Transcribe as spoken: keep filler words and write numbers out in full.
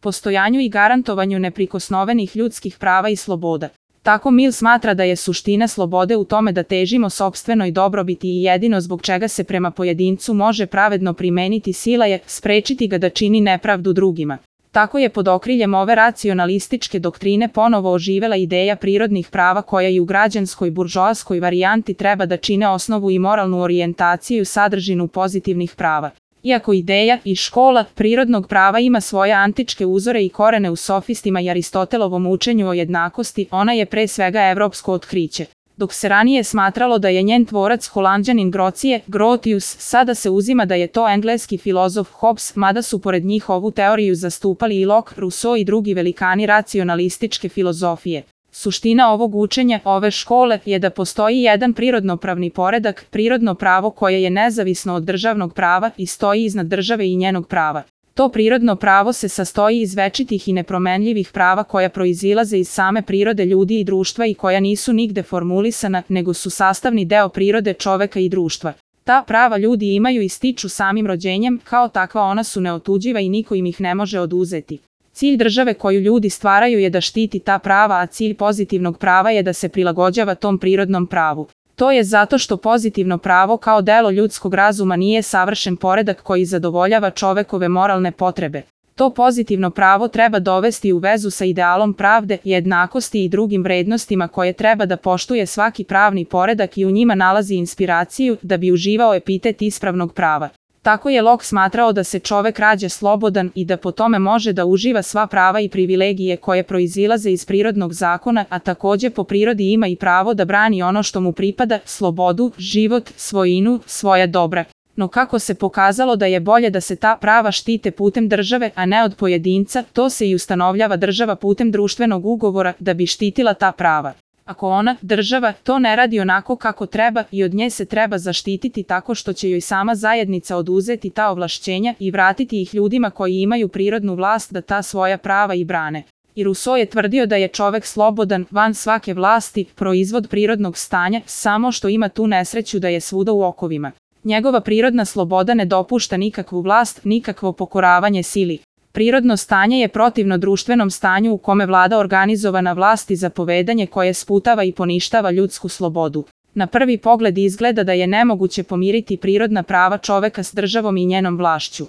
postojanju i garantovanju neprikosnovenih ljudskih prava i sloboda. Tako Mill smatra da je suština slobode u tome da težimo sopstvenoj dobrobiti i jedino zbog čega se prema pojedincu može pravedno primeniti sila je sprečiti ga da čini nepravdu drugima. Tako je pod okriljem ove racionalističke doktrine ponovo oživela ideja prirodnih prava koja i u građanskoj buržoaskoj varijanti treba da čine osnovu i moralnu orijentaciju i sadržinu pozitivnih prava. Iako ideja i škola prirodnog prava ima svoje antičke uzore i korene u sofistima i Aristotelovom učenju o jednakosti, ona je pre svega evropsko otkriće. Dok se ranije smatralo da je njen tvorac Holanđanin Grocije, Grotius, sada se uzima da je to engleski filozof Hobbes, mada su pored njih ovu teoriju zastupali i Locke, Rousseau i drugi velikani racionalističke filozofije. Suština ovog učenja, ove škole, je da postoji jedan prirodnopravni poredak, prirodno pravo koje je nezavisno od državnog prava i stoji iznad države i njenog prava. To prirodno pravo se sastoji iz večitih i nepromenljivih prava koja proizilaze iz same prirode ljudi i društva i koja nisu nigde formulisana, nego su sastavni deo prirode čoveka i društva. Ta prava ljudi imaju i stiču samim rođenjem, kao takva ona su neotuđiva i niko im ih ne može oduzeti. Cilj države koju ljudi stvaraju je da štiti ta prava, a cilj pozitivnog prava je da se prilagođava tom prirodnom pravu. To je zato što pozitivno pravo kao delo ljudskog razuma nije savršen poredak koji zadovoljava čovekove moralne potrebe. To pozitivno pravo treba dovesti u vezu sa idealom pravde, jednakosti i drugim vrednostima koje treba da poštuje svaki pravni poredak i u njima nalazi inspiraciju da bi uživao epitet ispravnog prava. Tako je Locke smatrao da se čovek rađa slobodan i da po tome može da uživa sva prava i privilegije koje proizilaze iz prirodnog zakona, a takođe po prirodi ima i pravo da brani ono što mu pripada, slobodu, život, svojinu, svoja dobra. No kako se pokazalo da je bolje da se ta prava štite putem države, a ne od pojedinca, to se i ustanovljava država putem društvenog ugovora da bi štitila ta prava. Ako ona, država, to ne radi onako kako treba i od nje se treba zaštititi tako što će joj sama zajednica oduzeti ta ovlašćenja i vratiti ih ljudima koji imaju prirodnu vlast da ta svoja prava i brane. I Rousseau je tvrdio da je čovek slobodan, van svake vlasti, proizvod prirodnog stanja, samo što ima tu nesreću da je svuda u okovima. Njegova prirodna sloboda ne dopušta nikakvu vlast, nikakvo pokoravanje sili. Prirodno stanje je protivno društvenom stanju u kome vlada organizovana vlast i zapovedanje koje sputava i poništava ljudsku slobodu. Na prvi pogled izgleda da je nemoguće pomiriti prirodna prava čoveka s državom i njenom vlašću.